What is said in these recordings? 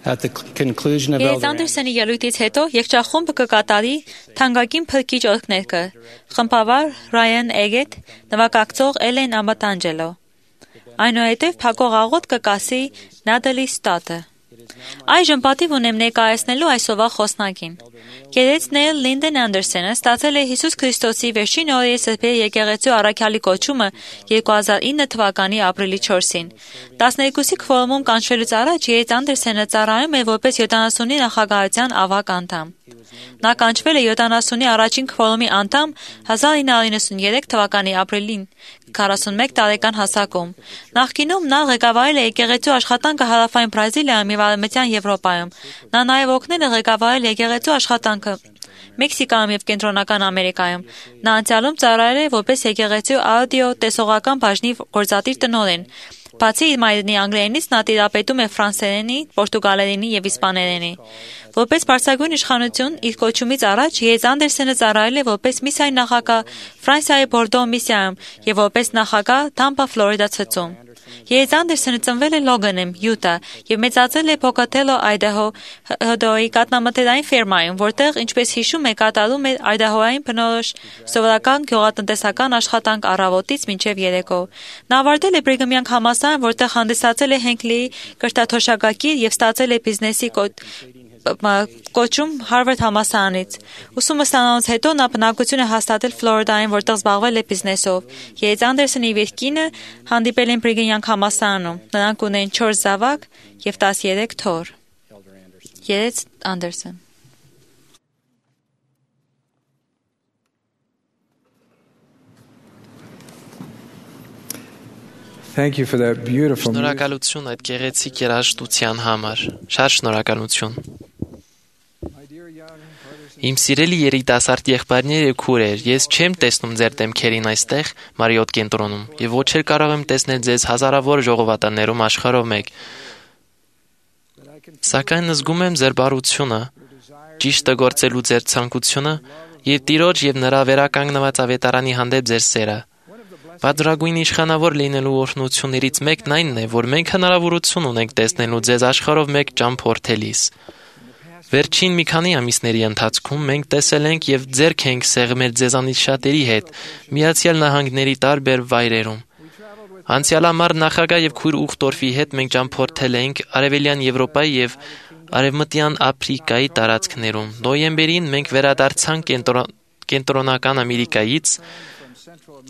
At the conclusion of Ես Elder Անդերսոնի ելույթից հետո եկչախումբը կկատարի թանկագին փրկիչ օրհներգը, խմբավար Ռայան Էգետ, նվագակցող Էլեն Ամատանջելո։ Այնուհետև փակող աղոթ կկասի Նադալի Ստատը։ Այժմ պատիվ ունեմ ներկայացնելու այսօրվա խոսնակին։ Գերեց Նեյլ Լինդեն Անդերսոնը ստացել է Հիսուս Քրիստոսի վերջին օրերի սրբերի եկեղեցու առաքյալի կոչումը 2009 թվականի ապրիլի 4-ին։ 12-ի քվորումում կանչվելուց առաջ Գերեց Անդերսոնը ծառայում է որպես 70-ի նախագահության ավագ անդամ։ Նա կանչվել է 70-ի առաջին քվորումի անդամ 1993 թվականի ապրիլին 41 տարեկան հասակում։ Նախկինում նա ղեկավարել է եկեղեցու աշխատանքը հարավային Բրազիլիայում և Արևմտյան Եվրոպայում։ Նա նաև օգնել է ղեկավարել եկեղեցու աշխատանքը Մեքսիկայում և Կենտրոնական Ամերիկայում։ Նա անցյալում ծառայել է որպես եկեղեցու աուդիո տեսողական բաժնի գործադիր տնօրեն։ Բացի իր մայրենի անգլերենից նա տիրապետում է ֆրանսերենի, պորտուգալերենի և իսպաներենի։ Որպես բարձրագույն իշխանություն իր կոչումից առաջ Գերեց Անդերսոնը ծառայել է որպես միսիայի նախագահ Ֆրանսիայի Բորդո միսիայում և որպես նախագահ Թամպա Ֆլորիդա ցցում։ Գերեց Անդերսոնը ծնվել է Լոգանում, Յուտա և մեծացել է Փոկաթելո, Այդահոյի կաթնամթերային ֆերմայում, որտեղ, ինչպես հիշում է, կատարում էր այդահոյային բնորոշ սովորական գյուղատնտեսական աշխատանք առավոտից մինչև երեկո։ Նա ավարտել է Բրիգամյան համալսարան, որտեղ հանդիսացել է Հենքլիի կրթաթոշակագիր և ստացել է բիզնեսի կոչում Հարվարդ համալսարանից։ Ուսումը ստանալուց հետո նա բնակություն է հաստատել Ֆլորիդայում, որտեղ զբաղվել է բիզնեսով։ Գերեց Անդերսոնի իր կինը հանդիպել են Բրիգամյան համալսարանում։ Նրանք ունեն 4 զավակ և 13 թոռ։ Գերեց Անդերսոն։ Thank you for that beautiful music. Շնորհակալություն այդ գեղեցիկ երաժշտության համար։ Շատ շնորհակալություն։ Իմ սիրելի երիտասարդ եղբայրներ եւ քուրեր, ես չեմ տեսնում ձեր դեմքերին այստեղ Մարիոտ կենտրոնում եւ ոչ էլ կարող եմ տեսնել ձեզ հազարավոր ժողովածուներում աշխարհով մեկ։ Սակայն զգում եմ ձեր բարությունը, ճիշտը գործելու ձեր ցանկությունը եւ Տիրոջ եւ նրա վերականգնված ավետարանի հանդեպ ձեր սերը։ Բادرագույն իշխանավոր լինելու օրհնություններից մեկն այնն է, որ մենք հնարավորություն ունենք տեսնելու ձեզ աշխարհով մեկ ճամփորդելիս։ Վերջին մի քանի ամիսների ընթացքում մենք տեսել ենք եւ ձեռք ենք սեղմել ձեզանից շատերի հետ Միացյալ Նահանգների տարբեր վայրերում։ Անցյալ ամառ նախագահ եւ քույր Ուխտորֆի հետ մենք ճամփորդել ենք Արևելյան Եվրոպայի եւ Արևմտյան Աֆրիկայի տարածքներում։ Նոյեմբերին մենք վերադարձանք Կենտրոնական Ամերիկայից,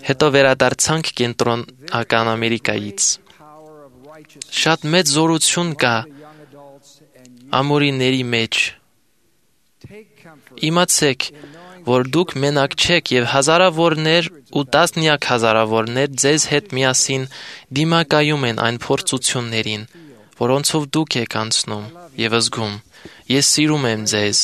հետո վերադարձանք Կենտրոնական Ամերիկայից։ Շատ մեծ զորություն կա ամորիների մեջ։ Իմացեք, որ դուք մենակ չեք եւ հազարավորներ ու տասնյակ հազարավորներ ձեզ հետ միասին դիմակայում են այն փորձություններին, որոնցով դուք եք անցնում եւ զգում։ Ես սիրում եմ ձեզ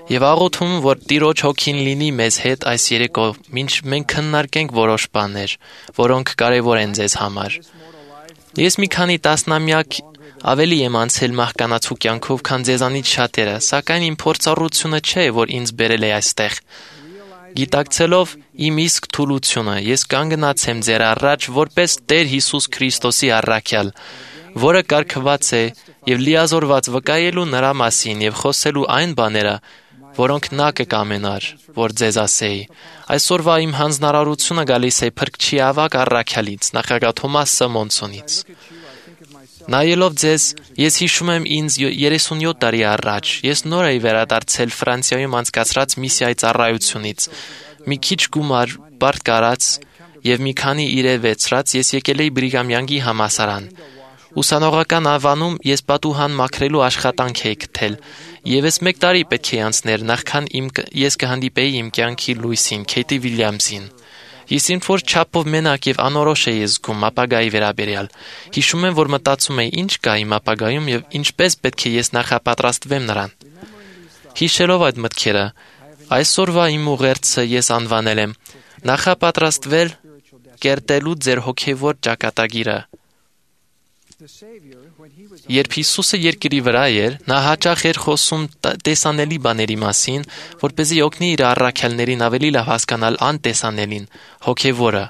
եւ աղոթում, որ Տիրոջ հոգին լինի մեզ հետ այս երեկո, մինչ մենք քննարկենք որոշ բաներ, որոնք կարեւոր են ձեզ համար։ Ես մի քանի տասնամյակ ավելի եմ անցել մահկանացու կյանքով, քան ձեզանից շատերը, սակայն իմ փորձառությունը չէ, որ ինձ բերել է այստեղ։ Գիտակցելով իմ իսկ թուլությունը, ես կանգնած եմ ձեր առաջ որպես Տեր Հիսուս Քրիստոսի առաքյալ, որը կարգված է եւ լիազորված վկայելու նրա մասին եւ խոսելու այն բաները, որոնք նա կկամենար, որ ձեզ ասեի։ Այսօրվա իմ հանձնարարությունը գալիս է Փրկչի ավագ առաքյալից, նախագահ Թոմաս Սմոնսոնից։ Նայելով ձեզ, ես հիշում եմ ինձ 37 տարի առաջ։ Ես նոր էի վերադարձել Ֆրանսիայում անցկացրած միսիայի ծառայությունից։ Մի քիչ գումար բարդ կարած եւ մի քանի իրեր վեցրած ես եկել էի Բրիգամյանի համալսարան։ Ուսանողական ավանում ես պատուհան մաքրելու աշխատանք էի գտել։ Եվս 1 տարի պետք է անցներ, նախքան ես կհանդիպեի իմ կյանքի լույսին, Քեյթի Վիլյամսին։ Ես ինչ-որ չափով մենակ եւ անորոշ էի զգում ապագայի վերաբերյալ։ Հիշում եմ, որ մտածում էի, ինչ կա իմ ապագայում եւ ինչպես պետք է ես նախապատրաստվեմ նրան։ Հիշելով այդ մտքերը, այսօրվա իմ ուղերձը ես անվանել եմ նախապատրաստվել կերտելու ձեր հոգեվոր ճակատագիրը։ Երբ Հիսուսը երկրի վրա էր, նա հաճախ էր խոսում տեսանելի բաների մասին, որպեսզի օգնի իր առաքյալներին ավելի լավ հասկանալ անտեսանելին, հոգևորը։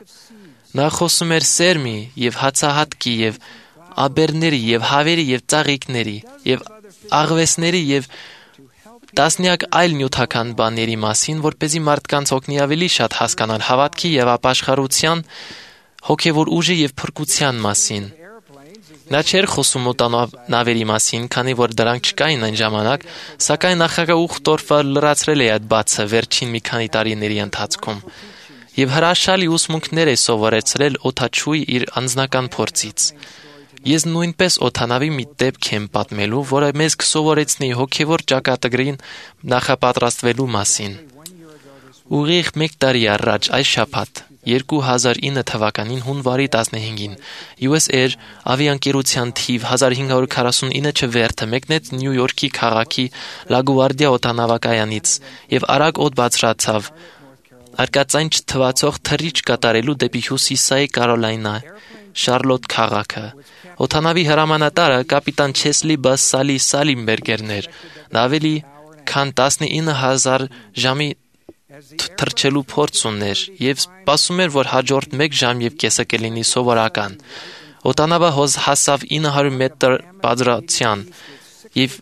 Նա խոսում էր սերմի եւ հացահատկի եւ աբերների եւ հավերի եւ ծաղիկների եւ աղվեսների եւ տասնյակ այլ նյութական բաների մասին, որպեսզի մարդկանց օգնի ավելի շատ հասկանալ հավատքի եւ ապաշխարության, հոգեվոր ուժի եւ փրկության մասին։ Նա չէր խոսում օտանավերի մասին, քանի որ դրանք չկային այն ժամանակ, սակայն նախագահ Ուխտորֆը լրացրել է այդ բացը վերջին մի քանի տարիների ընթացքում եւ հրաշալի ուսմունքներ է սովորեցրել օդաչուի իր անձնական փորձից։ Ես նույնպես օդանավի մի դեպք եմ պատմելու, որը մեզ կսովորեցնի հոգևոր ճակատագրին նախապատրաստվելու մասին։ Ուղիղ 1 տարի առաջ այս շաբաթ 2009 թվականին հունվարի 15-ին US Air ավիաընկերության թիվ 1549 չվերթը մեկնեց Նյու Յորքի քաղաքի Լագուարդիա օդանավակայանից եւ արագ օդ բարձրացավ արկածային չթվացող թռիչ կատարելու դեպի հյուսիսային Կարոլայնա Շարլոտ քաղաքը։ Օդանավի հրամանատարը կապիտան Չեսլի Բասսալի Սալիմբերգերն էր։ Նա ավելի քան 19000 ժամի թռչելու փորձ ուներ եւ սպասում էր, որ հաջորդ 1 ժամ եւ կեսը կլինի սովորական։ Օդանավը հասավ 900 մետր բարձրության եւ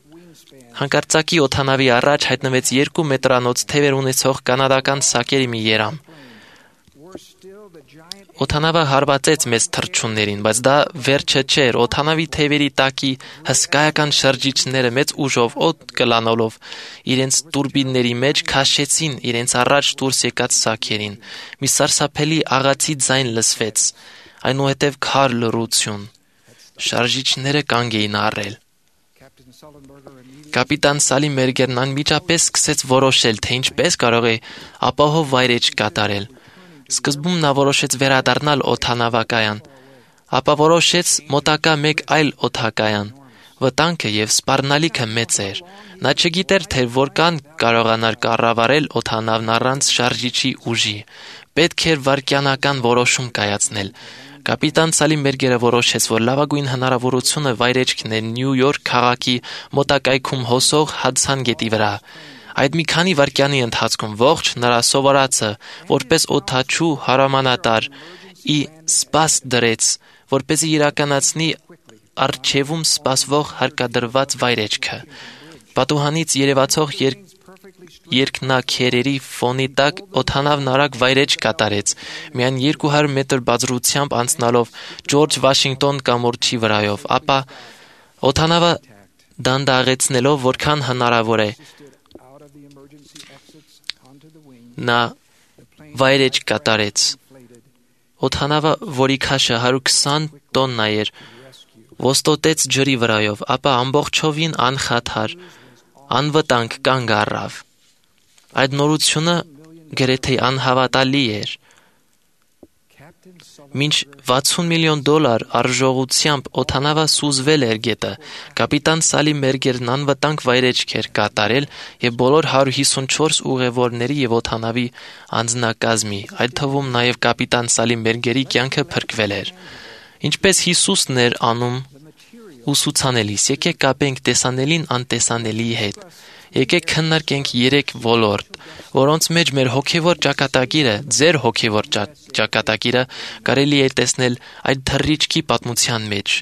հանկարծակի օդանավի առաջ հայտնվեց 2 մետրանոց թևեր ունեցող կանադական սակերի մի երամ։ Օդանավը հարվածեց մեծ թռչուններին, բայց դա վերջը չէր։ Օդանավի թևերի տակի հսկայական շրջիչները մեծ ուժով օդ կլանոլով իրենց տուրբինների մեջ քաշեցին իրենց առաջ դուրս եկած սակերին։ Մի սարսափելի աղացի ձայն լսվեց, այնուհետև քար լռություն։ Շարժիչները կանգ էին առել։ Կապիտան Սալիմբերգերն անմիջապես սկսեց որոշել, թե ինչպես կարող է ապահով վայրէջք կատարել։ Սկզբում նա որոշեց վերադառնալ օդանավակայան, ապա որոշեց մոտակա մեկ այլ օդակայան։ Վտանգը եւ սպառնալիքը մեծ էր։ Նա չգիտեր, թե որքան կարողանար կառավարել օդանավն առանց շարժիչի ուժի։ Պետք էր վայրկյանական որոշում կայացնել։ Կապիտան Սալիմբերգերը որոշեց, որ լավագույն հնարավորությունը վայրեջքն է Նյու Յորք քաղաքի մոտակայքում հոսող Հադսան գետի վրա։ Այդ մի քանի վայրկյանի ընթացքում ողջ նրա սովորածը, որպես օդաչու հրամանատար, ի սպաս դրեց, որպեսզի իրականացնի առջևում սպասվող հարկադրված վայրեջքը։ Պատուհանից երևացող երկնաքերերի ֆոնի տակ օդանավն արագ վայրեջք կատարեց, միայն 200 մետր բարձրությամբ անցնալով Ջորջ Վաշինգտոն կամուրջի վրայով, ապա օդանավը դանդաղեցնելով որքան հնարավոր է նա վայրեջք կատարեց։ Օդանավը, որի քաշը 120 տոննա էր, ոստոտեց ջրի վրայով, ապա ամբողջովին անխաթար, անվտանգ կանգ առավ։ Այդ նորությունը գրեթե անհավատալի էր։ Մինչ $60 միլիոն արժողությամբ օդանավը սուզվել էր գետը, կապիտան Սալիմբերգերն անվտանգ վայրեջք էր կատարել եւ բոլոր 154 ուղևորների եւ օդանավի անձնակազմի, այդ թվում նաեւ կապիտան Սալիմբերգերի կյանքը փրկվել էր։ Ինչպես Հիսուսն էր անում ուսուցանելիս, եկեք կապենք տեսանելին անտեսանելիի հետ։ Եկեք քննարկենք 3 ոլորտ, որոնց մեջ մեր հոգևոր ճակատագիրը, ձեր հոգևոր ճակատագիրը կարելի է տեսնել այդ թռիչքի պատմության մեջ։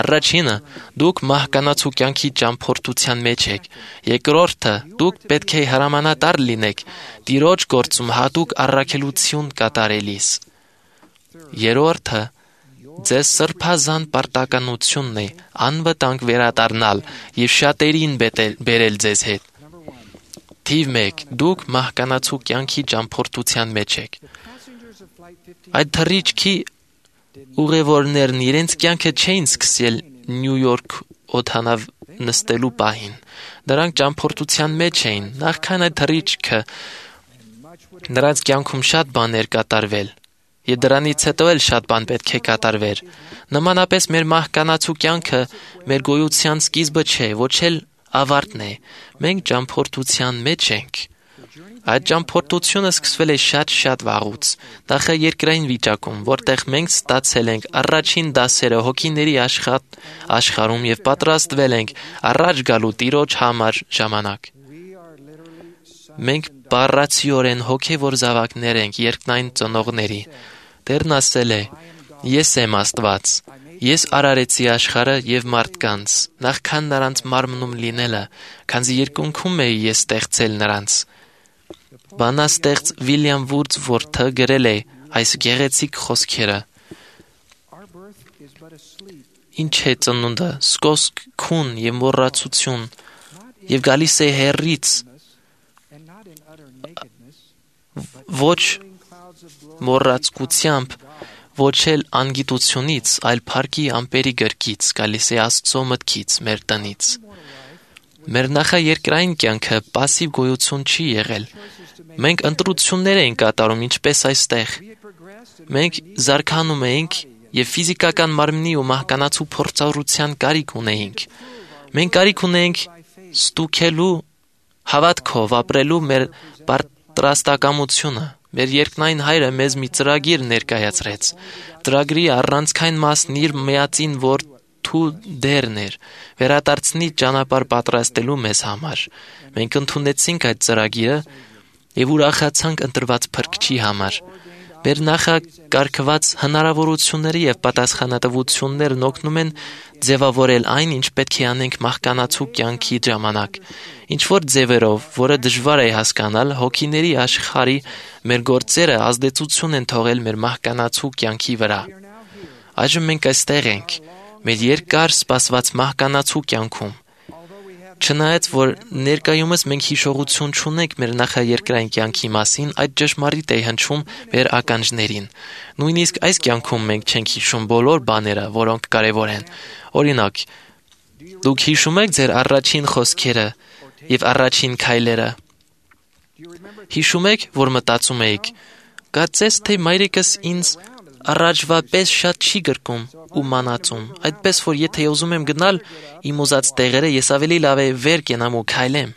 Առաջինը՝ դուք մահկանացու կյանքի ճամփորդության մեջ եք։ Երկրորդը՝ դուք պետք է հրամանատար լինեք Տիրոջ գործում հատուկ առաքելություն կատարելիս։ Երրորդը՝ ձեզ սրբազան պարտականությունն է անվտանգ վերադառնալ եւ շատերին բերել ձեզ հետ։ Թիվ 1. Դուք մահկանացու կյանքի ճամփորդության մեջ եք։ Այդ թռիչքի ուղևորներն իրենց կյանքը չէին սկսել Նյու Յորք օդանավ նստելու պահին։ Նրանք ճամփորդության մեջ էին։ Նախքան այդ թռիչքը նրանց կյանքում շատ բաներ կատարվել։ Եվ դրանից հետո էլ շատ բան պետք է կատարվեր։ Նմանապես մեր մահկանացու կյանքը մեր գոյության սկիզբը չէ, ոչ էլ ավարտն է։ Մենք ճամփորդության մեջ ենք։ Այդ ճամփորդությունը սկսվել է շատ վաղուց, նախաերկրային վիճակում, որտեղ մենք ստացել ենք առաջին դասերը հոգիների աշխարհում եւ պատրաստվել ենք առաջ գալու Տիրոջ համար ժամանակ։ Մենք բառացիորեն հոգևոր զավակներ ենք երկնային ծնողների։ Տերն ասել է. Ես եմ Աստված, Ես արարեցի աշխարհը եւ մարդկանց, նախքան նրանց մարմնում լինելը, քանզի երկնքում էի ես ստեղծել նրանց։ Բանաստեղծ Վիլյամ Վուրդսվորթը գրել է այս գեղեցիկ խոսքերը. Ինչ է ծնունդը, սկոսք, քուն եւ մոռացություն, եւ գալիս է հեռից, ոչ մոռացկությամբ, ոչ էլ անգիտությունից, այլ փառքի ամպերի գրկից, գալիս է Աստծո մտքից, մեր տնից։ Մեր նախաերկրային կյանքը պասիվ գոյություն չի եղել։ Մենք ընտրություններ էինք կատարում, ինչպես այստեղ։ Մենք զարգանում էինք եւ ֆիզիկական մարմնի ու մահկանացու փորձառության կարիք ունեինք։ Մենք կարիք ունեինք ստուգելու, հավատքով ապրելու մեր պատրաստակամությունը։ Մեր երկնային հայրը մեզ մի ծրագիր ներկայացրեց։ Ծրագրի առանցքային մասն իր միածին որդու դերն էր, վերադարձնի ճանապարհ պատրաստելու մեզ համար։ Մենք ընդունեցինք այդ ծրագիրը եւ ուրախացանք ընտրված Փրկչի համար։ Մեր նախակարգված հնարավորությունները եւ պատասխանատվություններն օգնում են ձևավորել այն, ինչ պետք է անենք մահկանացու կյանքի ժամանակ։ Ինչ-որ ձևերով, որը դժվար է հասկանալ, հոգիների աշխարհի մեր գործերը ազդեցություն են թողել մեր մահկանացու կյանքի վրա։ Այժմ մենք այստեղ ենք, մեր երկար սպասված մահկանացու կյանքում։ Չնայած որ ներկայումս մենք հիշողություն չունենք մեր նախաերկրային կյանքի մասին, այդ ճշմարիտ է հնչում մեր ականջներին։ Նույնիսկ այս կյանքում մենք չենք հիշում բոլոր բաները, որոնք կարևոր են։ Օրինակ, դուք հիշում եք ձեր առաջին խոսքերը եւ առաջին քայլերը։ Հիշում եք, որ մտածում էիք. «Կարծես թե մայրիկս ինձ առաջվա պես շատ չի գրկում ու մանածում, այդպես որ եթե ուզում եմ գնալ իմ ուզած տեղերը, ես ավելի լավ է վեր կենամ ու քայլեմ»։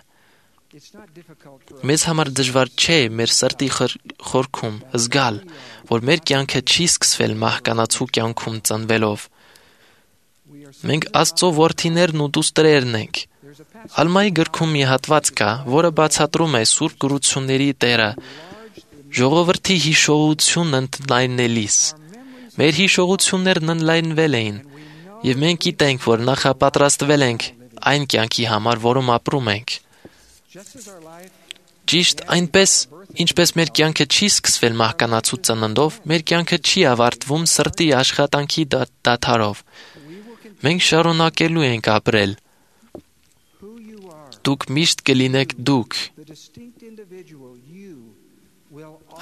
Մեզ համար դժվար չէ մեր սրտի խորքում զգալ, որ մեր կյանքը չի սկսվել մահկանացու կյանքում ծնվելով։ Մենք Աստծո որդիներն ու դուստրերն ենք։ Ալմայի գրքում մի հատված կա, որը բացատրում է Սուրբ գրությունների Տերը ժողովրդի հիշողությունն ընդլայնելիս։ Մեր հիշողություններն ընդլայնվել էին, եւ մենք գիտենք, որ նախապատրաստվել ենք այն կյանքի համար, որում ապրում ենք։ Ճիշտ այնպես, ինչպես մեր կյանքը չի սկսվել մահկանացու ծննդով, մեր կյանքը չի ավարտվում սրտի աշխատանքի դադարով։ Մենք շարունակելու ենք ապրել։ Դուք միշտ կլինեք դուք։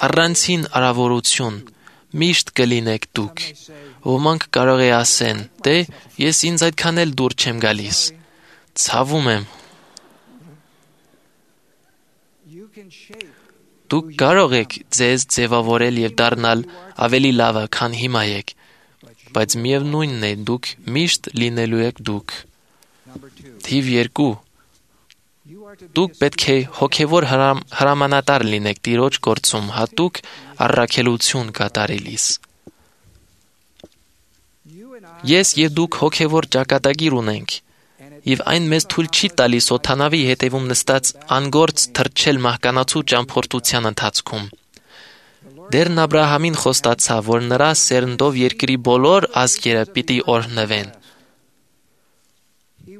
Առանցին արավորություն, միշտ կլինեք դուք։ Ոմանք կարող է ասեն, դե, ես ինձ այդքան էլ դուր չեմ գալիս։ Ցավում եմ։ Դուք կարող եք ձեզ ձևավորել եւ դառնալ ավելի լավը, քան հիմա եք, բայց միևնույնն է, դուք միշտ լինելու եք դուք։ Թիվ 2. Դուք պետք է հոգևոր հրամանատար լինեք Տիրոջ գործում հատուկ առաքելություն կատարելիս։ Ես եւ դուք հոգևոր ճակատագիր ունենք, եւ այն մեզ թույլ չի տալիս օդանավի հետևում նստած անգործ թռչել մահկանացու ճամփորդության ընթացքում։ Դերն Աբրահամին խոստացավ, որ նրա սերնդով երկրի բոլոր ազգերը պիտի օրհնվեն։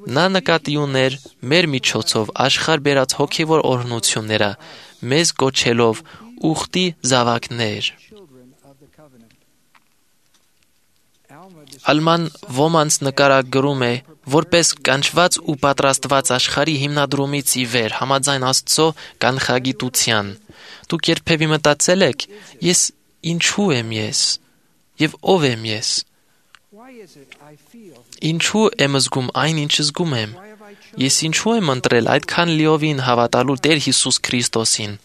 Նա նկատի ուներ մեր միջոցով աշխարհ բերած հոգևոր օրհնությունները, մեզ կոչելով ուխտի զավակներ։ Ալման ոմանց նկարագրում է որպես կանչված ու պատրաստված աշխարհի հիմնադրումից ի վեր համաձայն Աստծո կանխագիտության։ Դուք երբևէ մտածել եք, ես ինչու եմ ես եւ ով եմ ես։ Ինչու եմ զգում այն, ինչ զգում եմ։ Ես ինչու եմ ընտրել այդքան լիովին հավատալու Տեր Հիսուս Քրիստոսին։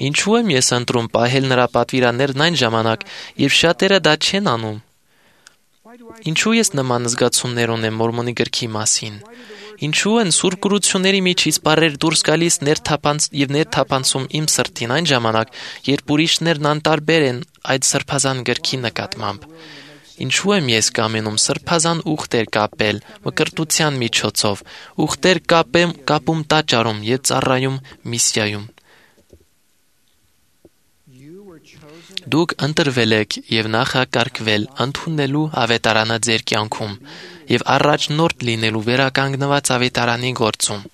Ինչու եմ ես ընտրում պահել նրա պատվիրաններն այն ժամանակ, երբ շատերը դա չեն անում։ Ինչու ես նման զգացումներ ունեմ Մորմոնի գրքի մասին։ Ինչու են սուրբ գրությունների միջից բառեր դուրս գալիս եւ ներթափանցում իմ սրտին այն ժամանակ, երբ ուրիշներն անտարբեր են այդ սրբազան գրքի նկատմամբ։ Ինչու եմ ես կամենում սրբազան ուխտեր կապել մկրտության միջոցով, ուխտեր կապում տաճարում եւ ծառայում միսիայում։ Դուք ընտրվել եք եւ նախակարգվել ընդունելու ավետարանը ձեր կյանքում եւ առաջնորդ լինելու վերականգնված ավետարանի գործում։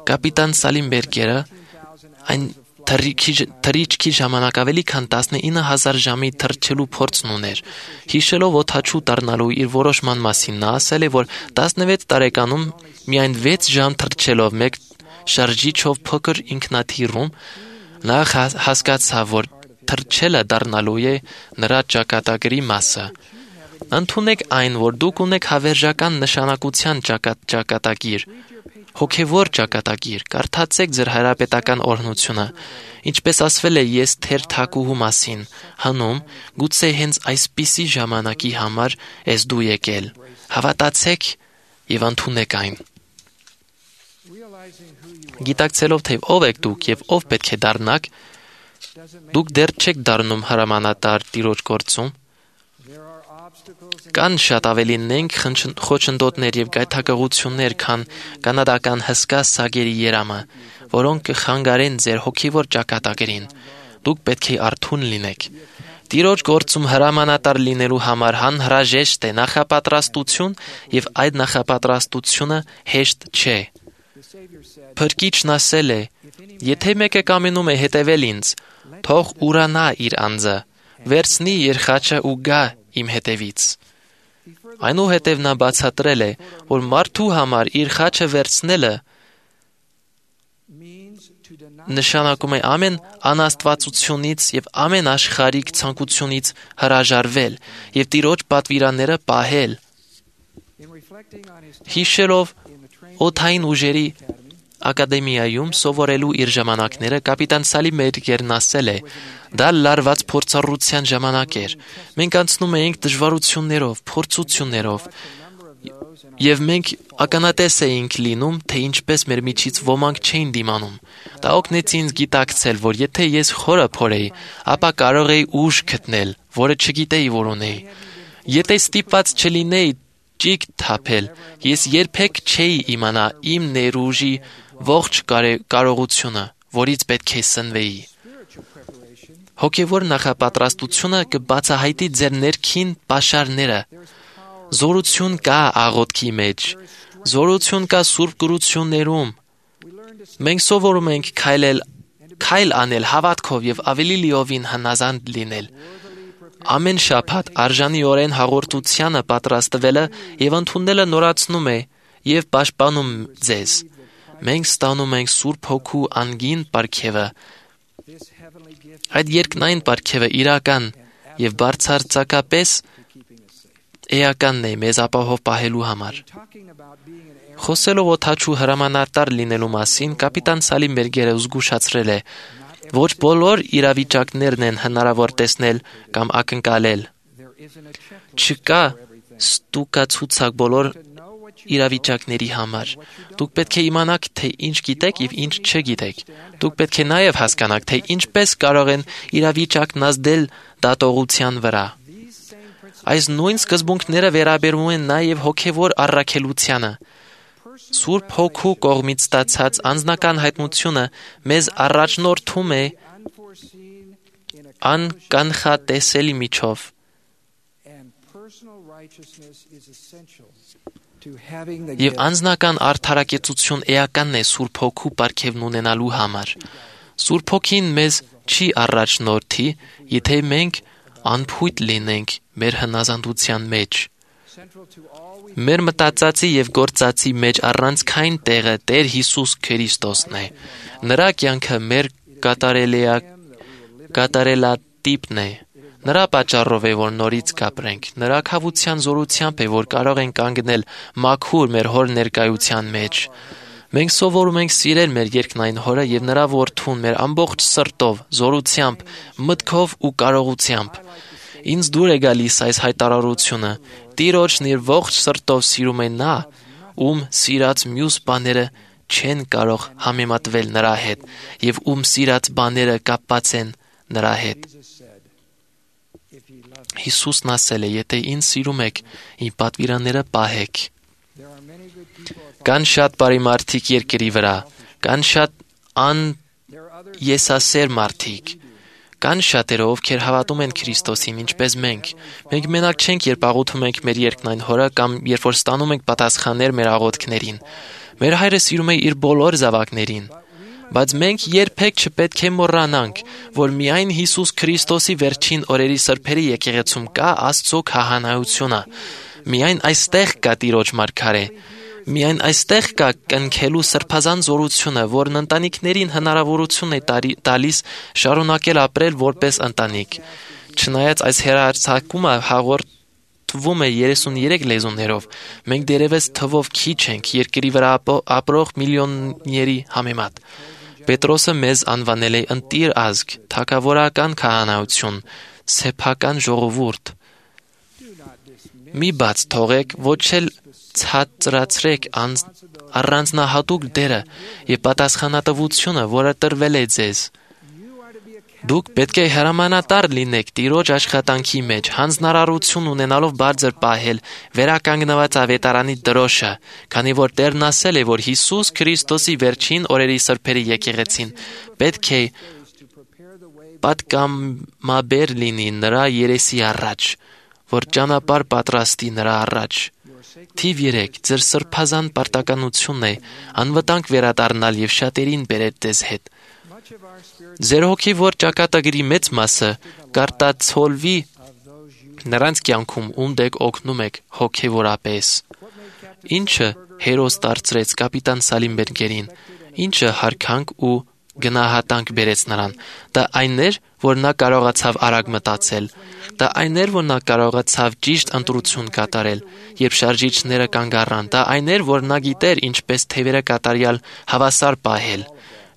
Կապիտան Սալիմբերգերը այն թռիչքի ժամանակ ավելի քան 19,000 ժամի թռչելու փորձն ուներ։ Հիշելով օդաչու դառնալու իր որոշման մասին, նա ասել է, որ 16 տարեկանում միայն 6 ժամ թռչելով մեկ շարժիչով փոքր ինքնաթիռում նա հասկացավ, որ թռչելը դառնալու է նրա ճակատագրի մասը։ Ընդունեք այն, որ դուք ունեք հավերժական նշանակության ճակատագիր, հոգևոր ճակատագիր, կարդացեք ձեր հայրապետական օրհնությունը, ինչպես ասվել է ես թեր թակուհու մասին, հնում, գուցե հենց այսպիսի ժամանակի համար ես դու եկել, հավատացեք և ընդունեք այն։ Գիտակցելով, թե ով եք դուք և ով պետք է դառնաք, դուք դեռ չեք դառնում հրամանատար Տիրոջ գործում։ Կան շատ ավելի նենք խոչընդոտներ և գայթակղություններ, քան կանադական հսկա սագերի երամը, որոնք կխանգարեն ձեր հոգևոր ճակատագրին։ Դուք պետք է արթուն լինեք։ Տիրոջ գործում հրամանատար լինելու համար անհրաժեշտ է նախապատրաստություն, և այդ նախապատրաստությունը հեշտ չէ։ Փրկիչն ասել է. «Եթե մեկը կամենում է հետևել ինձ, թող ուրանա իր անձը, վերցնի իր խաչը ու գա իմ հետևից»։ Այնուհետև նա բացատրել է, որ մարդու համար իր խաչը վերցնելը նշանակում է ամեն անաստվածությունից և ամեն աշխարհիկ ցանկությունից հրաժարվել և Տիրոջ պատվիրանները պահել։ Հիշելով օդային ուժերի ակադեմիայում սովորելու իր ժամանակները, կապիտան Սալիմբերգերն ասել է. «Դա լարված փորձառության ժամանակ էր։ Մենք անցնում էինք դժվարություններով, փորձություններով, և մենք ականատես էինք լինում, թե ինչպես մեր միջից ոմանք չէին դիմանում։ Դա օգնեց ինձ գիտակցել, որ եթե ես խորը փորեի, ապա կարող էի ուժ գտնել, որը չգիտեի, որ ունեի։ Եթե ստիպված չլինեի ճիգ թափել, ես երբեք չէի իմանա իմ ներուժի ողջ կարողությունը, որից պետք է սնվեի։ Հոգևոր նախապատրաստությունը կբացահայտի ձեր ներքին պաշարները։ Զորություն կա աղոթքի մեջ, զորություն կա սուրբ գրություններում։ Մենք սովորում ենք քայլ անել հավատքով և ավելի լիովին հնազանդ լինել։ Ամեն շաբաթ արժանիորեն հաղորդությանը պատրաստվելը և ընդունելը նորացնում է և պաշտպանում ձեզ։ Մենք ստանում ենք Սուրբ Հոգու անգին պարգևը։ Այդ երկնային պարգևը իրական և բարձրացակապես էականն է մեզ ապահով պահելու համար։ Խոսելով օդաչու հրամանատար լինելու մասին, կապիտան Սալիմբերգերը զգուշացրել է. «Ոչ բոլոր իրավիճակներն են հնարավոր տեսնել կամ ակնկալել։ Չկա ստուգացուցակ բոլոր իրավիճակների համար։ Դուք պետք է իմանաք, թե ինչ գիտեք և ինչ չգիտեք։ Դուք պետք է նաև հասկանաք, թե ինչպես կարող են իրավիճակն ազդել դատողության վրա։ Այս նույն սկզբունքները վերաբերում են նաև հոգևոր առաքելությանը։ Սուրբ Հոգու կողմից ստացած անձնական հայտնությունը մեզ առաջնորդում է անկանխատեսելի միջով։ Եվ անձնական արդարակեցություն էականն է Սուրբ Հոգու պարգևն ունենալու համար։ Սուրբ Հոգին մեզ չի առաջնորդի, եթե մենք անփույթ լինենք մեր հնազանդության մեջ։ Մեր մտածածի և գործածի մեջ առանցքային տեղը Տեր Հիսուս Քրիստոսն է։ Նրա կյանքը մեր կատարելատիպն է։ Նրա պատճառով է, որ նորից կապրենք։ Նրա քավության զորությամբ է, որ կարող ենք կանգնել մաքուր մեր Հոր ներկայության մեջ։ Մենք սովորում ենք սիրել մեր երկնային Հորը և Նրա Որդուն մեր ամբողջ սրտով, զորությամբ, մտքով ու կարողությամբ։ Ինձ դուր է գալիս այս հայտարարությունը. Տիրոջն իր ողջ սրտով սիրում է նա, ում սիրած մյուս բաները չեն կարող համեմատվել նրա հետ, և ում սիրած բաները կապված են նրա հետ։ Հիսուսն ասել է. «Եթե ինձ սիրում եք, իմ պատվիրանները պահեք»։ Կան շատ բարի մարդիկ երկրի վրա, կան շատ անեսասեր մարդիկ, Կան շատերը, ովքեր հավատում են Քրիստոսին, ինչպես մենք։ Մենք մենակ չենք, երբ աղոթում ենք մեր երկնային Հորը կամ երբ որ ստանում ենք պատասխաններ մեր աղոթքներին։ Մեր Հայրը սիրում է իր բոլոր զավակներին։ Բայց մենք երբեք չպետք է մոռանանք, որ միայն Հիսուս Քրիստոսի վերջին օրերի սրբերի եկեղեցում կա Աստծո քահանայությունը։ Միայն այստեղ կա Տիրոջ մարգարե։ Միայն այստեղ կա կնքելու սրբազան զորությունը, որն ընտանիքներին հնարավորություն է տալիս շարունակել ապրել որպես ընտանիք։ Չնայած այս հեռարձակումը հաղորդվում է 33 լեզուներով, մենք դերևս թվով քիչ ենք երկրի վրա ապրող միլիոնների համեմատ։ Պետրոսը մեզ անվանել է ընտիր ազգ, թագավորական քահանայություն, սեփական ժողովուրդ։ Մի բաց թողեք, ոչ էլ ցածրացրեք առանձնահատուկ դերը եւ պատասխանատվությունը, որը տրվել է ձեզ։ Դուք պետք է հրամանատար լինեք Տիրոջ աշխատանքի մեջ, հանձնարարություն ունենալով բարձր պահել վերականգնված ավետարանի դրոշը, քանի որ Տերն ասել է, որ Հիսուս Քրիստոսի վերջին օրերի սրբերի եկեղեցին պետք է պատգամաբեր լինի նրա երեսի առաջ, որ ճանապարհ պատրաստի նրա առաջ։ Թիվ 3 ձեր սրբազան պարտականությունն է անվտանգ վերադառնալ եւ շատերին բերել ձեզ հետ։ Ձեր հոգեվոր ճակատագրի մեծ մասը կարտացոլվի նրանց կյանքում, ում դեք օգնում եք հոգեվորապես։ Ինչը հերոս դարձրեց կապիտան Սալիմբերգերին, ինչը հարկանք ու գնահատանք բերեց նրան։ Դա այն էր, որ նա կարողացավ արագ մտածել։ Դա այն էր, որ նա կարողացավ ճիշտ ընտրություն կատարել, երբ շարժիչները կանգ առան։ Դա այն էր, որ նա գիտեր ինչպես թևերը կատարյալ հավասար պահել։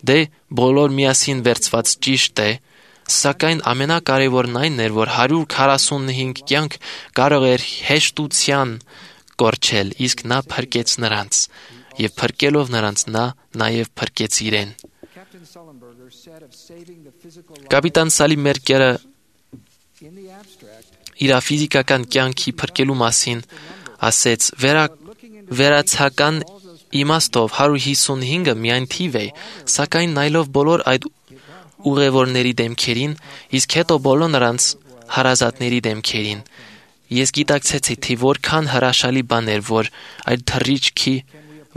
Դե բոլոր միասին վերցված ճիշտ է, սակայն ամենակարևորն այն էր, որ 145 կյանք կարող էր հեշտության կորչել, իսկ նա փրկեց նրանց, եւ փրկելով նրանց նա նաեւ փրկեց իրեն։ Կապիտան Սալիմբերգերը իր ֆիզիկական կյանքի փրկելու մասին ասեց. վերացական իմաստով 155-ը միայն թիվ է, սակայն նայելով բոլոր այդ ուղևորների դեմքերին, իսկ հետո բոլոր նրանց հարազատների դեմքերին, ես գիտակցեցի, թե որքան հրաշալի բան էր, որ այդ թռիչքի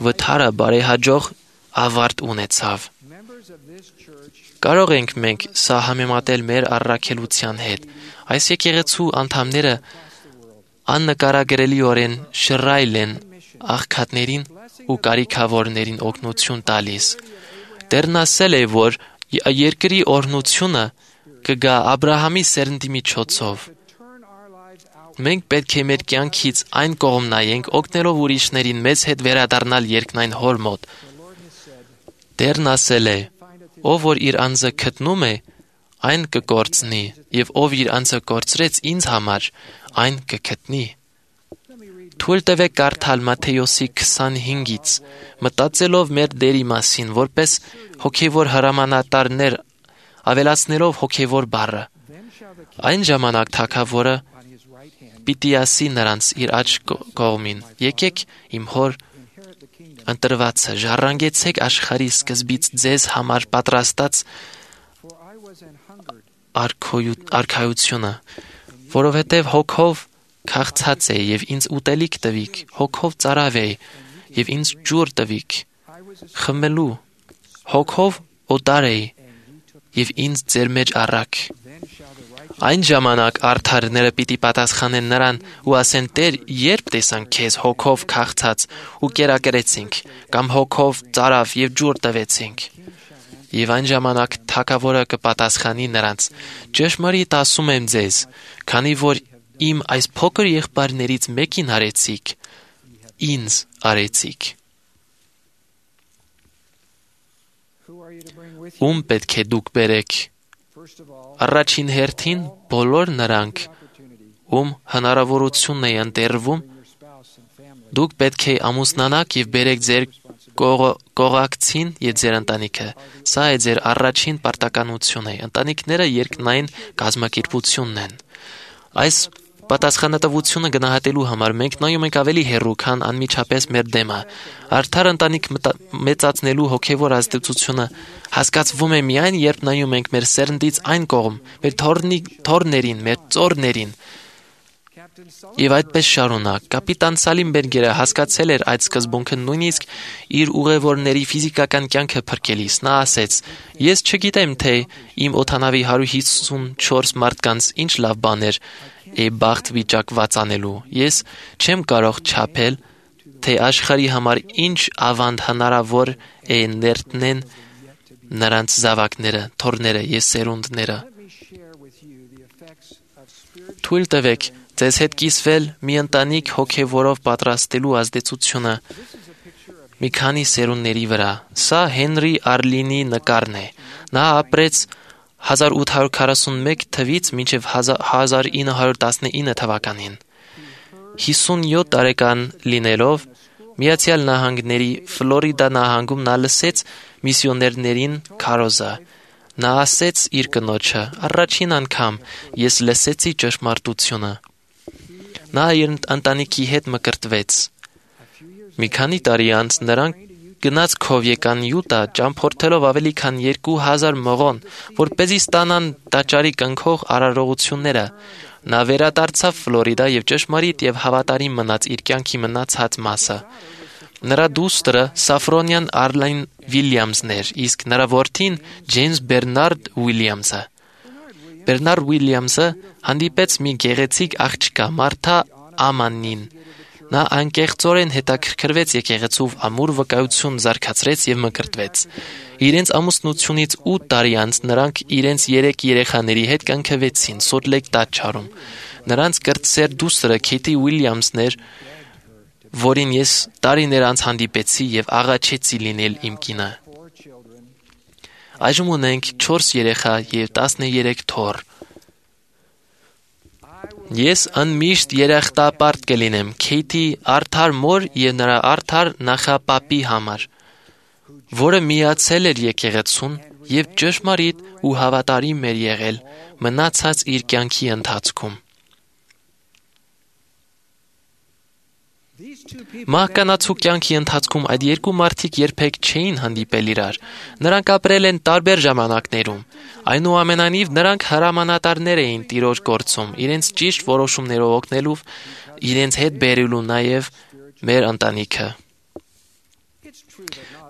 վթարը բարեհաջող ավարտ ունեցավ։ Կարող ենք մենք սա համեմատել մեր առաքելության հետ։ Այս եկեղեցու անդամները աննկարագրելիորեն շռայլ են աղքատներին ու կարիքավորներին օգնություն տալիս։ Տերն ասել է, որ երկրի օրհնությունը կգա Աբրահամի սերնդի միջոցով։ Մենք պետք է մեր կյանքից այն կողմ նայենք, օգնելով ուրիշներին մեզ հետ վերադառնալ երկնային Հոր մոտ։ Տերն ասել է. ով որ իր անձը գտնում է, այն կկորցնի, եւ ով իր անձը կորցրեց ինձ համար, այն կգտնի։ Թույլ տվեք կարդալ Մատթեոսի 25-ից, մտածելով մեր Տերի մասին, որպես հոգևոր հրամանատարներ, ավելացնելով հոգևոր բառը։ Այն ժամանակ թագավորը պիտի ասի նրանց իր աջ կողմին. եկեք իմ Հոր ընտրվածը, ժառանգեցեք աշխարհի սկզբից ձեզ համար պատրաստած արքայությունը, որովհետև հոգով քաղցած է եւ ինձ ուտելիք տվիք, հոգով ծարավ է եւ ինձ ջուր տվիք խմելու, հոգով օտար է եւ ինձ ձեր մեջ առաք։ Այն ժամանակ արդարները պիտի պատասխանեն նրան ու ասեն. Տեր, երբ տեսանք քեզ հոգով քաղցած ու կերակրեցինք, կամ հոգով ծարավ եւ ջուր տվեցինք։ Եվ այն ժամանակ թագավորը կպատասխանի նրանց. ճշմարիտ ասում եմ ձեզ, քանի որ իմ այս փոքր եղբայրներից մեկին արեցիք, ինձ արեցիք։ Ում պետք է դուք բերեք։ Առաջին հերթին բոլոր նրանք, ում հնարավորությունն է ընտրվում, դուք պետք է ամուսնանաք եւ բերեք ձեր կողակցին եւ ձեր ընտանիքը։ Սա է ձեր առաջին պարտականությունը։ Ընտանիքները երկնային կազմակերպությունն են։ Այս պատասխանատվությունը գնահատելու համար մենք նայում ենք ավելի հեռու, քան անմիջապես մեր դեմը։ Արդար ընտանիք մեծացնելու հոգևոր ազդեցությունը հասկացվում է միայն, երբ նայում ենք մեր սերնդից այն կողմ, մեր թոռներին, մեր ծոռներին։ Եվ այդպես շարունակ։ Կապիտան Սալիմբերգերը հասկացել էր այդ սկզբունքը նույնիսկ իր ուղևորների ֆիզիկական կյանքը փրկելիս։ Նա ասեց. «Ես չգիտեմ, թե իմ օդանավի 154 մարդկանց ինչ լավ բաներ է բախտ վիճակված անելու։ Ես չեմ կարող չափել, թե աշխարհի համար ինչ ավանդ հնարավոր է ներտնեն նրանց զավակները, թոռները եւ սերունդները։ Թույլ տվեք ձեզ հետ կիսվել մի ընտանիք հոգևորով պատրաստելու ազդեցությունը մի քանի սերունդների վրա։ Սա Հենրի Արլինի նկարն է։ Նա ապրեց 1841 թվից մինչև 1919 թվականին։ 57 տարեկան լինելով Միացյալ Նահանգների Ֆլորիդա նահանգում նա լսեց միսիոներներին քարոզը։ Նա ասեց իր կնոջը. «Առաջին անգամ ես լսեցի ճշմարտությունը»։ Նա իր ընտանիքի հետ մկրտվեց։ Մի քանի տարի անց նրանք գնացքով եկան Յուտա, ճամփորդելով ավելի քան 2000 մղոն, որպեսզի ստանան տաճարի կնքող արարողությունները։ Նա վերադարձավ Ֆլորիդա եւ ճշմարիտ եւ հավատարիմ մնաց իր կյանքի մնացած մասը։ Նրա դուստրը Սաֆրոնյան Արլին Վիլյամսն էր, իսկ նրա որդին Ջեյմս Բերնարդ Ուիլյամսը։ Բերնարդ Ուիլյամսը հանդիպեց մի գեղեցիկ աղջկա Մարթա Ամանին։ Նա անկեղծորեն հետաքրքրվեց եկեղեցով, ամուր վկայություն զարգացրեց եւ մկրտվեց։ Իրենց ամուսնությունից 8 տարի անց նրանք իրենց 3 երեխաների հետ կնքվեցին Սոլտ Լեյք տաճարում։ Նրանց կրտսեր դուստրը Քեյթի Ուիլյամսն էր, որին ես տարիներ անց հանդիպեցի եւ աղաչեցի լինել իմ կինը։ Այժմ ունենք 4 երեխա եւ 13 թոռ։ Ես անմիշտ երախտապարտ կլինեմ Քեյթի արդար մոր եւ նրա արդար նախապապի համար, որը միացել էր եկեղեցուն եւ ճշմարիտ ու հավատարիմ էր եղել մնացած իր կյանքի ընթացքում։ Մահկանացու կյանքի ընթացքում այդ երկու մարդիկ երբեք չէին հանդիպել իրար։ Նրանք ապրել են տարբեր ժամանակներում։ Այնուամենայնիվ նրանք հրամանատարներ էին Տիրոջ գործում, իրենց ճիշտ որոշումներով օգնելու, իրենց հետ բերելու նաև մեր ընտանիքը։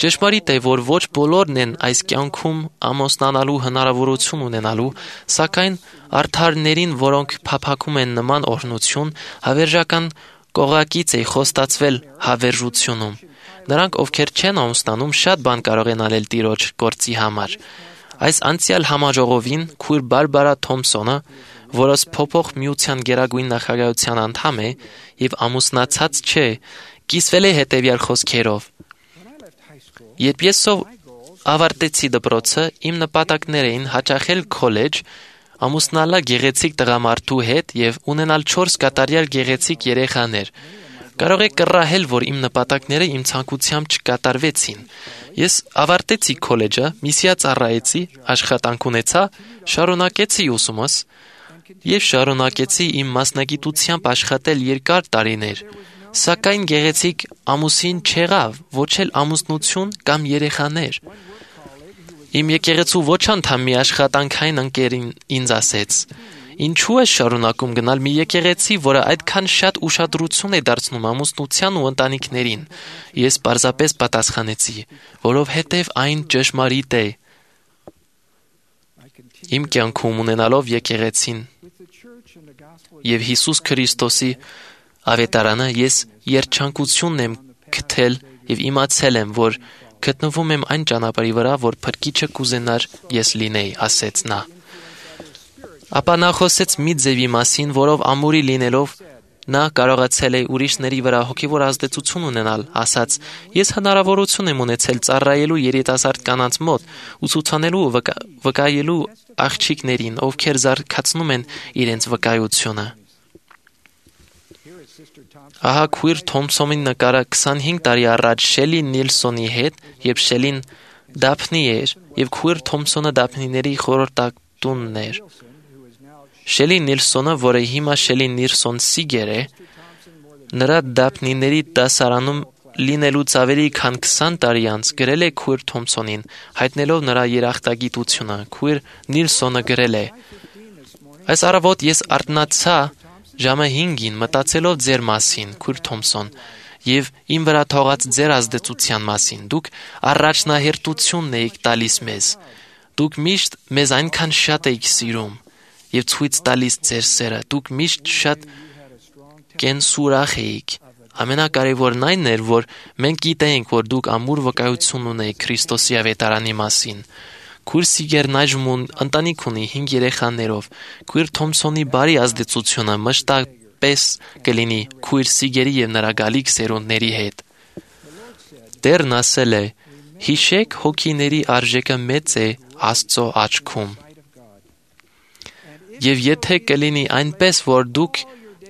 Ճշմարիտ է, որ ոչ բոլորն են այս կյանքում ամուսնանալու հնարավորություն ունենալու, սակայն արդարներին, որոնք փափագում են նման օրհնություն, հավերժական կողակից է խոստացվել հավերժությունում։ Նրանք, ովքեր չեն ամուսնանում, շատ բան կարող են անել Տիրոջ գործի համար։ Այս անցյալ համաժողովին քույր Բարբարա Թոմսոնը, որը փոփոխ միության գերագույն նախագահության անդամ է եւ ամուսնացած չէ, կիսվել է հետեւյալ խոսքերով. «Երբ ես ավարտեցի դպրոցը, իմ նպատակներ էին հաճախել քոլեջ, ամուսնալա գեղեցիկ տղամարդու հետ եւ ունենալ 4 կատարյալ գեղեցիկ երեխաներ։ Կարող եք կռահել, որ իմ նպատակները իմ ցանկությամբ չկատարվեցին։ Ես ավարտեցի քոլեջը, միսիա ծառայեցի, աշխատանք ունեցա, շարունակեցի ուսումս եւ շարունակեցի իմ մասնագիտությամբ աշխատել երկար տարիներ, սակայն գեղեցիկ ամուսին չեղավ, ոչ էլ ամուսնություն կամ երեխաներ։ Իմ եկեղեցու ոչ անդամ մի աշխատանքային ընկերին ինձ ասեց. «Ինչու ես շարունակում գնալ մի եկեղեցի, որը այդքան շատ ուշադրություն է դարձնում ամուսնության ու ընտանիքներին»։ Ես պարզապես պատասխանեցի, որովհետև այն ճշմարիտ է։ Իմ կյանքում ունենալով եկեղեցին եւ Հիսուս Քրիստոսի ավետարանը, ես երջանկությունն եմ գտել եւ իմացել եմ, որ գտնվում եմ այն ճանապարհի վրա, որ Փրկիչը կուզենար ես լինեի, ասեց նա։ Ապա նա խոսեց մի ձևի մասին, որով ամուրի լինելով նա կարողացել է ուրիշների վրա հոգևոր ազդեցություն ունենալ, ասաց. «Ես հնարավորություն եմ ունեցել ծառայելու երիտասարդ կանանց մոտ, ուսուցանելու ու վկայելու աղջիկներին, ովքեր զարգացնում են իրենց վկայությունը»։ Ահա քույր Թոմսոնի նկարը 25 տարի առաջ Շելի Նիլսոնի հետ, երբ Շելին Դափնի էր, եւ քույր Թոմսոնը Դափնիների խորհրդատունն էր։ Շելի Նիլսոնը, որը հիմա Շելի Նիլսոն Սիգեր է, նրա դափնիների դասարանում լինելուց ավելի քան 20 տարի անց գրել է Քուիր Թոմփսոնին, հայտնելով նրա երախտագիտությունը։ Քուիր Նիլսոնը գրել է. «Այս առավոտ ես արթնացա ժամը 5-ին մտածելով ձեր մասին, Քուիր Թոմփսոն, եւ իմ վրա թողած ձեր ազդեցության մասին։ Դուք առաջնահերթությունն եք տալիս մեզ։ Դուք միշտ մեզ այնքան շատ եք սիրում եւ ցույց տալիս ձեր սերը։ Դուք միշտ շատ կենսուրախ եք։ Ամենակարևորն այն էր, որ մենք գիտեինք, որ դուք ամուր վկայություն ունեիք Քրիստոսի ավետարանի մասին։ Քուիր Սիգերն այժմ ընտանիք ունի 5 երեխաներով։ Քուիր Թոմփսոնի բարի ազդեցությունը մշտապես կլինի Քուիր Սիգերի եւ նրա գալիք սերունդների հետ»։ Տերն ասել է. «Հիշեք, հոգիների արժեքը մեծ է Աստծո աչքում։ Եվ եթե կլինի այնպես, որ դուք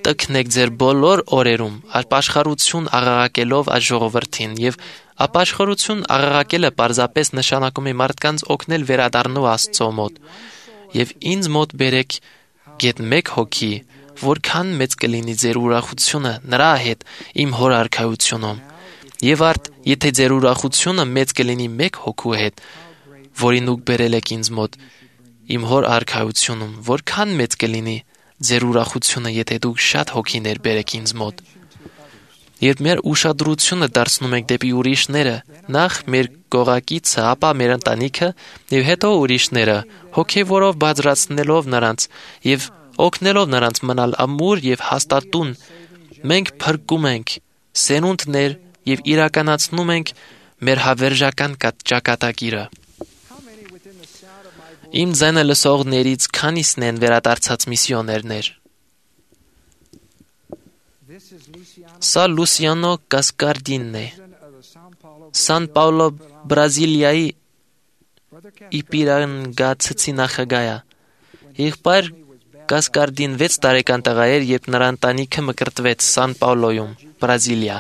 տքնեք ձեր բոլոր օրերում ապաշխարություն աղաղակելով այս ժողովրդին, եւ ապաշխարություն աղաղակելը պարզապես նշանակում է մարդկանց օգնել վերադառնալ Աստծո մոտ, եւ ինձ մոտ բերեք գեթ 1 հոգի, որքան մեծ կլինի ձեր ուրախությունը նրա հետ իմ հոր արքայությունում, եւ արդ եթե ձեր ուրախությունը մեծ կլինի 1 հոգու հետ, որին դուք բերել եք ինձ մոտ իմ հոր արքայությունում, որքան մեծ կլինի ձեր ուրախությունը, եթե դուք շատ հոգիներ բերեք ինձ մոտ»։ Երբ մեր ուշադրությունը դարձնում ենք դեպի ուրիշները, նախ մեր կողակիցը, ապա մեր ընտանիքը եւ հետո ուրիշները, հոգեվորով բարձրացնելով նրանց եւ օգնելով նրանց մնալ ամուր եւ հաստատուն, մենք փրկում ենք սերունդներ եւ իրականացնում ենք մեր հավերժական ճակատագիրը։ Իմ ձայնը լսողներից քանիսն են վերադարձած միսիոներներ։ Սա Լուսիանո Կասկարդինն է, Սան Պաուլո, Բրազիլիայի Իպիրանգացի նախագահը։ Եղբայր Կասկարդին 6 տարեկան տղա էր, երբ նրա ընտանիքը մկրտվեց Սան Պաուլոյում, Բրազիլիա։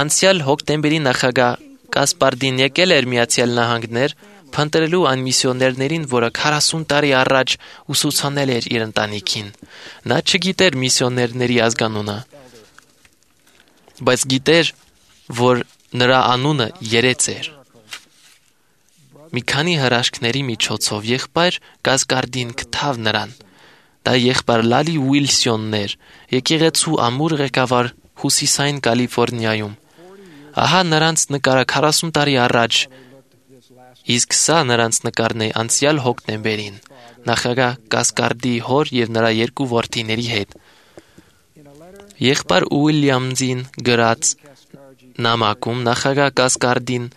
Անցյալ հոկտեմբերի նախագահ Կասպարդին եկել էր Միացյալ Նահանգներ, փնտրելու այն միսիոներներին, որը 40 տարի առաջ ուսուցանել էր իր ընտանիքին։ Նա չգիտեր միսիոներների ազգանունը, բայց գիտեր, որ նրա անունը երեց էր։ Մի քանի հրաշքների միջոցով եղբայր Կասկարդին գտավ նրան։ Դա եղբայր Լալի Ուիլսոնն էր, եկեղեցու ամուր ղեկավար Հյուսիսային Կալիֆոռնիայում։ Ահա նրանց նկարը 40 տարի առաջ, իսկ սա նրանց նկարն է անցյալ հոկտեմբերին, նախագահ Կասկարդի հոր եւ նրա 2 որդիների հետ։ Եղբայր Ուիլյամզին գրած նամակում նախագահ Կասկարդին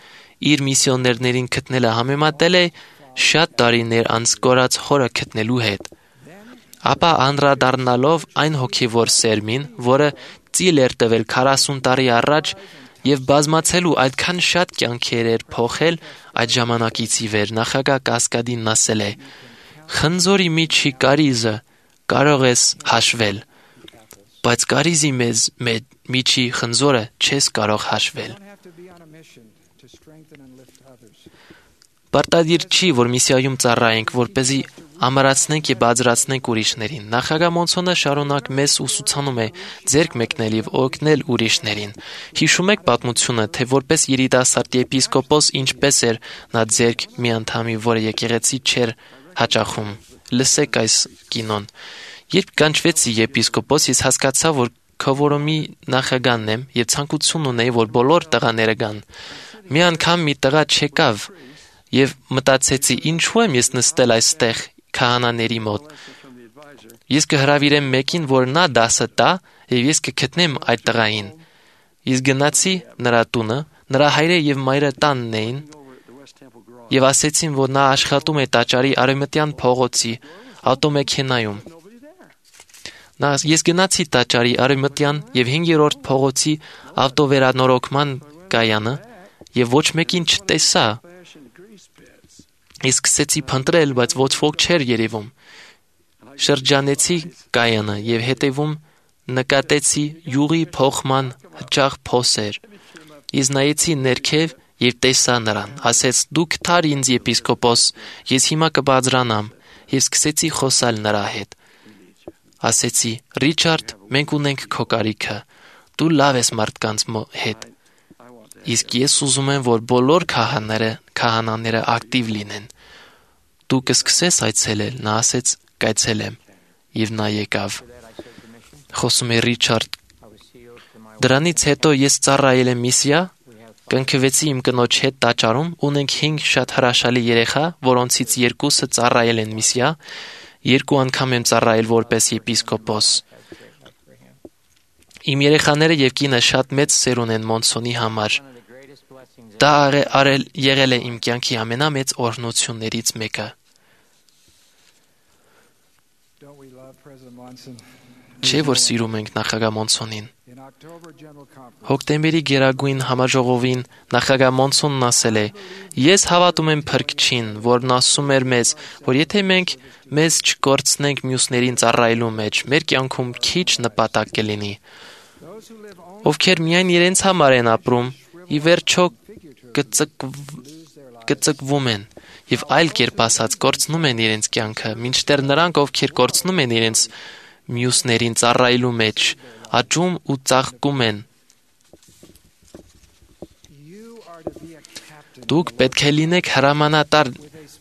իր միսիոներներին գտնելը համեմատել է շատ տարիներ անց կորած հորը գտնելու հետ։ Ապա անդրադառնալով այն հոգևոր սերմին, որը ծիլ էր տվել 40 տարի առաջ եւ բազմացելու այդքան շատ կյանքեր էր փոխել այդ ժամանակից ի վեր, նախագահ Կասկադին ասել է. «Խնձորի միջի կարիզը կարող ես հաշվել, բայց կարիզի միջի խնձորը չես կարող հաշվել»։ Պարտադիր չի, որ միսիայում ծառայենք, որպեսզի ամրացնենք եւ բարձրացնենք ուրիշներին։ Նախագահ Մոնսոնը շարունակ մեզ ուսուցանում է ձեռք մեկնել եւ օգնել ուրիշներին։ Հիշում եք պատմությունը, թե որպես երիտասարդ եպիսկոպոս ինչպես էր նա ձեռք մի անդամի, որը եկեղեցի չէր հաճախում։ Լսեք այս կինոն։ Երբ կանչվեցի եպիսկոպոս, ես հասկացա, որ քվորոմի նախագահն եմ եւ ցանկություն ունեի, որ բոլոր տղաները գան։ Մի անգամ մի տղա չեկավ եւ մտածեցի, ինչու եմ ես նստել այստեղ քահանաների մոտ։ Ես կհրավիրեմ մեկին, որ նա դասը տա եւ ես կգտնեմ այդ տղային։ Ես գնացի նրա տունը, նրա հայրը եւ մայրը տանն էին եւ ասեցին, որ նա աշխատում է տաճարի արևմտյան փողոցի ավտոմեքենայում։ Ես գնացի տաճարի արևմտյան եւ 5-րդ փողոցի ավտովերանորոգման կայանը եւ ոչ մեկին չտեսա։ Ես սկսեցի փնտրել, բայց ոչ ոք չէր երևում։ Շրջանեցի կայանը եւ հետևում նկատեցի յուղի փոխման հաճախ փոսեր։ Ես նայեցի ներքև եւ տեսա նրան։ Ասեց. «Դու գտար ինձ եպիսկոպոս, ես հիմա կբարձրանամ»։ եւ սկսեցի խոսալ նրա հետ։ Ասեցի. «Ռիչարդ, մենք ունենք քո կարիքը։ Դու լավ ես մարդկանց հետ։ Իսկ ես ուզում եմ, որ բոլոր քահանաները ակտիվ լինեն։ Դու կսկսես այցելել»։ Նա ասեց. «Կայցելեմ»։ Եվ նա եկավ։ Խոսում է Ռիչարդ. «Դրանից հետո ես ծառայել եմ միսիա, կնքվեցի իմ կնոջ հետ տաճարում, ունենք 5 շատ հրաշալի երեխա, որոնցից 2-ը ծառայել են միսիա, 2 անգամ եմ ծառայել որպես եպիսկոպոս։ Իմ երեխաները եւ կինը շատ մեծ սերուն են Մոնսոնի համար։ Դա եղել է իմ կյանքի ամենամեծ օրհնություններից մեկը»։ Չէ՞ որ սիրում ենք նախագահ Մոնսոնին։ Հոկտեմբերի գերագույն համաժողովին նախագահ Մոնսոնն ասել է. «Ես հավատում եմ Փրկչին, որն ասում էր մեզ, որ եթե մենք մեզ չկորցնենք մյուսներին ծառայելու մեջ, մեր կյանքում քիչ նպատակ կլինի։ Ովքեր միայն իրենց համար են ապրում, ի վերջո կծկվում են եւ այլ կերպ ասած կորցնում են իրենց կյանքը, մինչդեռ նրանք, ովքեր կորցնում են իրենց մյուսներին ծառայելու մեջ, աճում ու ծաղկում են։ Դուք պետք է լինեք հրամանատար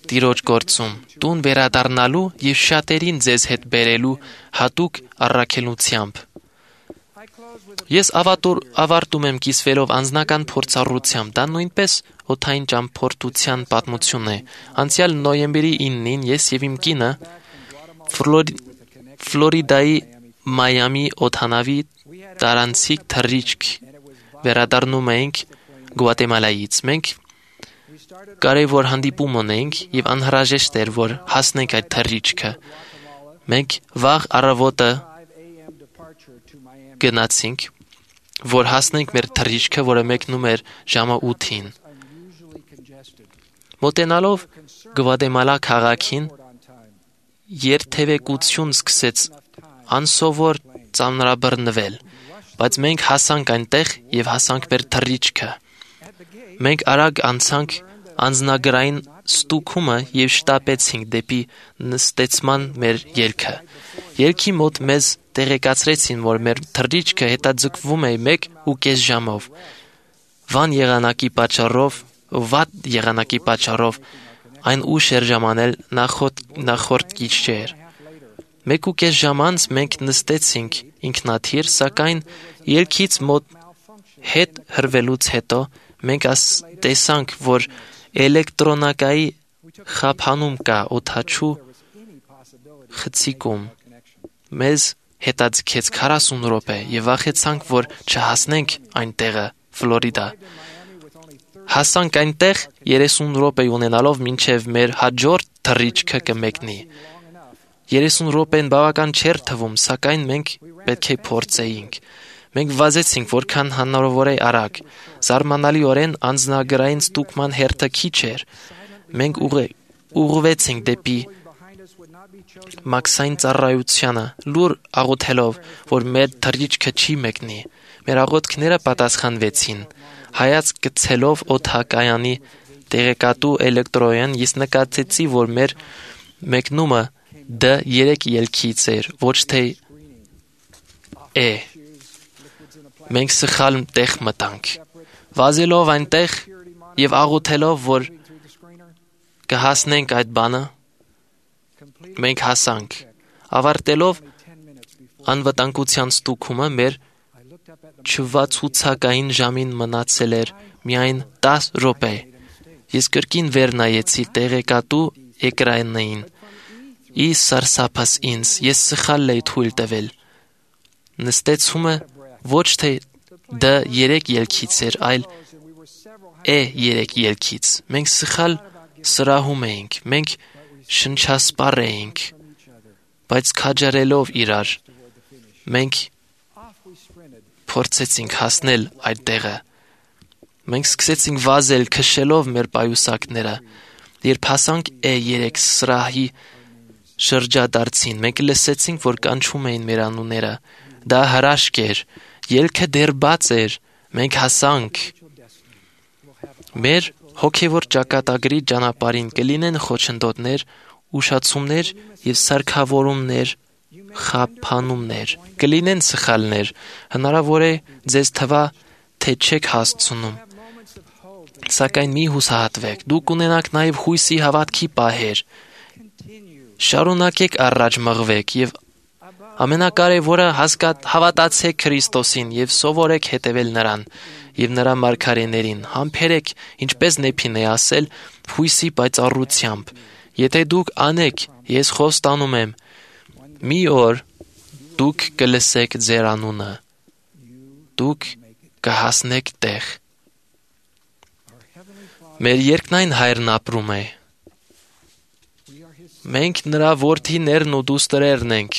Տիրոջ գործում, տուն վերադառնալու եւ շատերին ձեզ հետ բերելու հատուկ առաքելությամբ։ Ես ավարտում եմ կիսվելով անձնական փորձառությամբ, դա նույնպես օդային ճամփորդության պատմություն է։ Անցյալ նոյեմբերի 9-ին ես եւ իմ կինը Ֆլորիդայի Մայամի օդանավի տարանցիկ թռիչք վերադառնում էինք Գուատեմալայից։ Մենք կարևոր հանդիպում ունեինք եւ անհրաժեշտ էր, որ հասնենք այդ թռիչքը։ Մենք վաղ առավոտը գնացինք, որ հասնենք մեր թռիչքը, որը մեկնում էր ժամը 8-ին։ Մոտենալով Գուատեմալա քաղաքին երթևեկություն սկսեց անսովոր ծանրաբռնվել, բայց մենք հասանք այնտեղ եւ հասանք մեր թռիչքը։ Մենք արագ անցանք անձնագրային ստուգումը եւ շտապեցինք դեպի նստեցման մեր ելքը։ Ելքի մոտ մեզ տեղեկացրեցին, որ մեր թռիչքը հետաձգվում է 1.5 ժամով։ Վատ եղանակի պատճառով այն ուշ էր ժամանել նախորդ գիշեր։ 1.5 ժամ անց մենք նստեցինք ինքնաթիռ, սակայն ելքից մոտ հետ հրվելուց հետո մենք տեսանք, որ էլեկտրոնակայի խափանում կա օդաչու խցիկում։ Մեզ հետաձգեց 40 րոպե եւ վախեցանք, որ չհասնենք այնտեղը, Ֆլորիդա։ Հասանք այնտեղ 30 րոպե ունենալով մինչև մեր հաջորդ թռիչքը կմեկնի։ 30 րոպեն բավական չէր թվում, սակայն մենք պետք է փորձեինք։ Մենք վազեցինք որքան հնարավոր է արագ։ Զարմանալիորեն անձնագրային ստուգման հերթը քիչ էր։ Մենք ուղղվեցինք դեպի մաքսային ծառայությանը, լուր աղոթելով, որ մեր թռիչքը չի մեկնի։ Մեր աղոթքները պատասխանվեցին։ Հայացք գցելով օդակայանի տեղեկատու էլեկտրոյեն, ես նկատեցի, որ մեր մեկնումը D3 ելքից էր, ոչ թե E։ Մենք սխալ տեղ մտանք։ Վազելով այնտեղ եւ աղոթելով, որ կհասնենք այդ բանը, մենք հասանք։ Ավարտելով անվտանգության ստուգումը, մեր չվացուցակային ժամին մնացել էր միայն 10 րոպե։ Ես կրկին վեր նայեցի տեղեկատու էկրանին։ Ի սարսափս ինձ, ես սխալ էի թույլ տվել։ Նստեցումը ոչ թե D3 ելքից էր, այլ E3 ելքից։ Մենք սխալ սրահում էինք, մենք շնչասպառ էինք, բայց քաջարելով իրար, մենք փորձեցինք հասնել այդ տեղը։ Մենք սկսեցինք վազել, քշելով մեր պայուսակները։ Երբ հասանք E3 սրահի շրջադարձին, մենք լսեցինք, որ կանչում էին մեր անունները։ Դա հրաշք էր, ելքը դեռ բաց էր, մենք հասանք։ Մեր հոգևոր ճակատագրի ճանապարհին կլինեն խոչընդոտներ ուշացումներ եւ սարքավորումներ, խափանումներ, կլինեն սխալներ, հնարավոր է ձեզ թվա, թե չեք հասցնում, սակայն մի հուսահատվեք, դուք ունենաք նաեւ հույսի հավատքի պահեր, շարունակեք առաջ մղվեք եւ ամենակարևորը հավատացեք Քրիստոսին եւ սովորեք հետևել նրան եւ նրա մարգարեներին, համբերեք, ինչպես Նեփին է ասել, հույսի պայծառությամբ, եթե դուք անեք, ես խոստանում եմ, մի օր դուք կլսեք ձեր անունը, դուք կհասնեք տեղ։ Մեր երկնային Հայրն ապրում է։ Մենք նրա որդիներն ու դուստրերն ենք։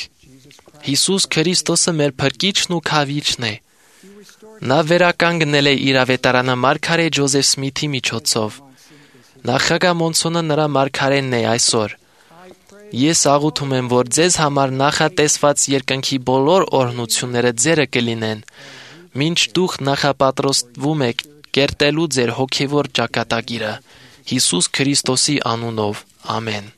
Հիսուս Քրիստոսը մեր փրկիչն ու քավիչն է։ Նա վերականգնել է իր ավետարանը մարգարե Ջոզեֆ Սմիթի միջոցով։ Նախագահ Մոնսոնը նրա մարգարենն է այսօր։ Ես աղոթում եմ, որ ձեզ համար նախատեսված երկնքի բոլոր օրհնությունները ձերը կլինեն, մինչ դուք նախապատրաստվում եք կերտելու ձեր հոգևոր ճակատագիրը։ Հիսուս Քրիստոսի անունով, ամեն։